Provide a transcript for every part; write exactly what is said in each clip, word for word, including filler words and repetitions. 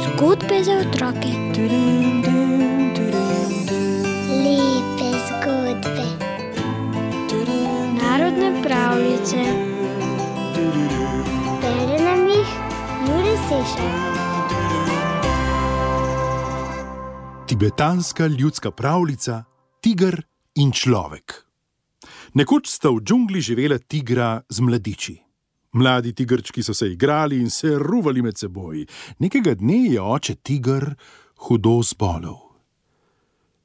Zgodbe za otroke. Lepe zgodbe. Narodne pravljice. Bere nam jih Jure Sešar. Tibetanska ljudska pravljica Tiger in človek. Nekoč sta v džungli živela tigra z mladiči. Mladi tigrčki so se igrali in se ruvali med seboj. Nekega dne je oče tiger hudo zbolel.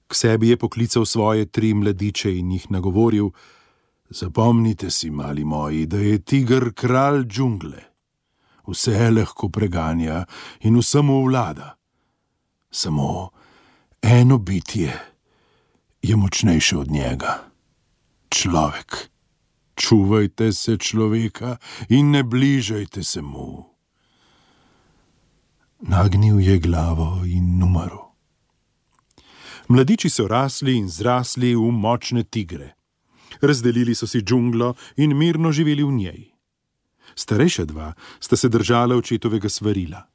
K sebi je poklical svoje tri mladiče in jih nagovoril: Zapomnite si, mali moji, da je tiger kralj džungle. Vse lahko preganja in vsemu vlada. Samo eno bitje je močnejše od njega. Človek. Čuvajte se človeka in ne bližajte se mu. Nagnil je glavo in umrl. Mladiči so rasli in zrasli v močne tigre. Razdelili so si džunglo in mirno živeli v njej. Starejša dva sta se držala očetovega svarila.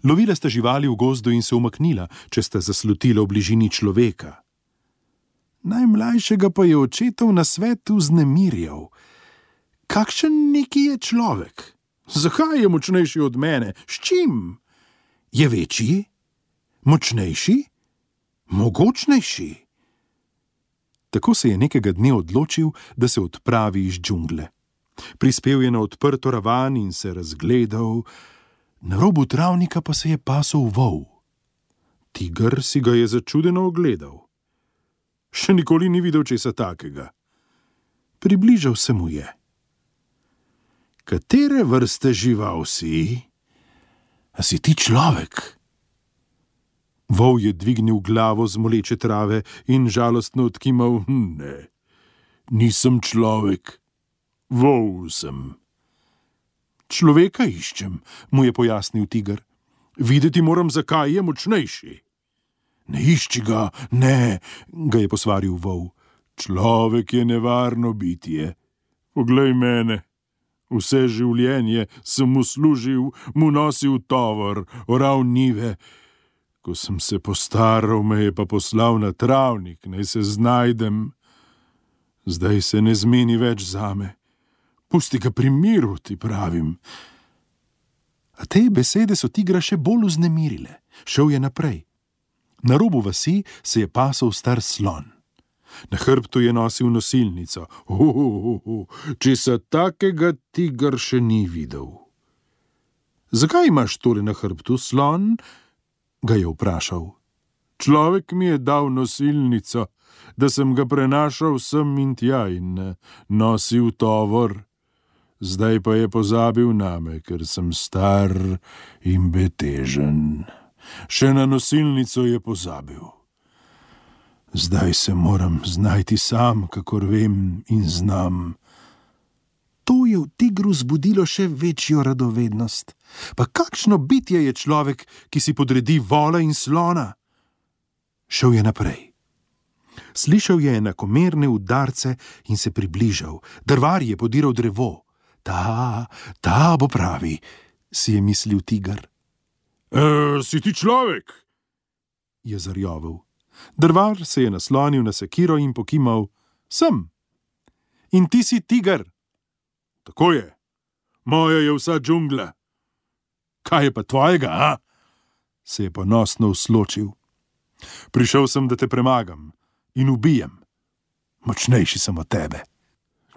Lovila sta živali v gozdu in se umaknila, če sta zaslutila v bližini človeka. Najmlajšega pa je očetov nasvet vznemirjal. Kakšen neki je človek? Zakaj je močnejši od mene? S čim? Je večji? Močnejši? Mogočnejši? Tako se je nekega dne odločil, da se odpravi iz džungle. Prispel je na odprto ravan in se razgledal. Na robu travnika pa se je pasel vol. Tiger si ga je začudeno ogledal. Še nikoli ni videl česa takega. Približal se mu je. Katere vrste žival si? A si ti človek? Vol je dvignil glavo z moleče trave in žalostno odkimal: Ne, nisem človek, vol sem. Človeka iščem, mu je pojasnil tiger. Videti moram, zakaj je močnejši. Ne išči ga, ne, ga je posvaril vol. Človek je nevarno bitje. Poglej mene. Vse življenje sem mu služil, mu nosil tovor, oral njive. Ko sem se postaral, me je pa poslal na travnik, naj se znajdem. Zdaj se ne zmeni več zame. Pusti ga pri miru, ti pravim. A te besede so tigra še bolj vznemirile. Šel je naprej. Na robu vasi se je pasel star slon. Na hrbtu je nosil nosilnico. Uhuhu, česa takega tiger še ni videl. Zakaj imaš tole na hrbtu, slon? Ga je vprašal. Človek mi je dal nosilnico, da sem ga prenašal sem in tja in nosil tovor. Zdaj pa je pozabil name, ker sem star in betežen. Še na nosilnico je pozabil. Zdaj se moram znajti sam, kakor vem in znam. To je v tigru zbudilo še večjo radovednost. Pa kakšno bitje je človek, ki si podredi vola in slona? Šel je naprej. Slišal je enakomerne udarce in se približal. Drvar je podiral drevo. Ta, ta bo pravi, si je mislil tiger. E, si ti človek? Je zarjovel. Drvar se je naslonil na sekiro in pokimal. Sem. In ti si tiger? Tako je. Moja je vsa džungla. Kaj je pa tvojega, a? Se je ponosno usločil. Prišel sem, da te premagam in ubijem. Močnejši sem od tebe.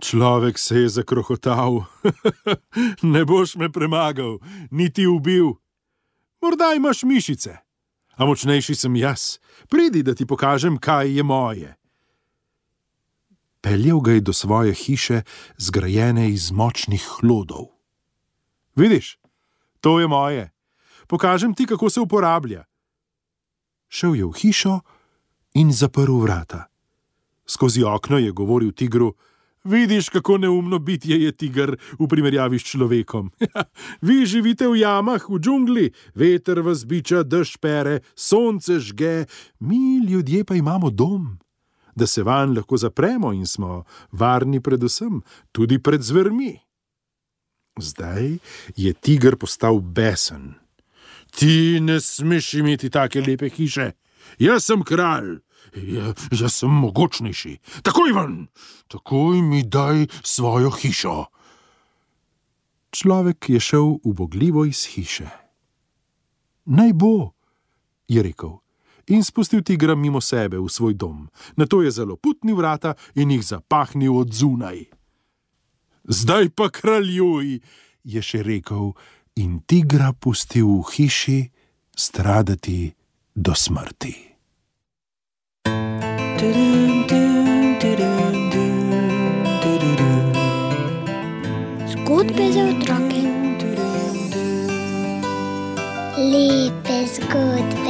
Človek se je zakrohotal. Ne boš me premagal, niti ubil. Morda imaš mišice, a močnejši sem jaz. Pridi, da ti pokažem, kaj je moje. Peljal ga je do svoje hiše, zgrajene iz močnih hlodov. Vidiš, to je moje. Pokažem ti, kako se uporablja. Šel je v hišo in zaprl vrata. Skozi okno je govoril tigru: Vidiš, kako neumno bitje je tiger v primerjavi s človekom. Vi živite v jamah, v džungli, veter vas biča, dež pere, sonce žge, mi ljudje pa imamo dom, da se vanj lahko zapremo in smo varni predvsem, tudi pred zvermi. Zdaj je tiger postal besen. Ti ne smeš imeti take lepe hiše. Jaz sem kralj. Ja, jaz sem mogočnejši. Takoj ven, takoj mi daj svojo hišo. Človek je šel ubogljivo iz hiše. Naj bo, je rekel, in spustil tigra mimo sebe v svoj dom. Nato je zaloputnil vrata in jih zapahnil od zunaj. Zdaj pa kraljuj, je še rekel, in tigra pustil v hiši stradati do smrti. Zgodbe za otroke. Lepe zgodbe.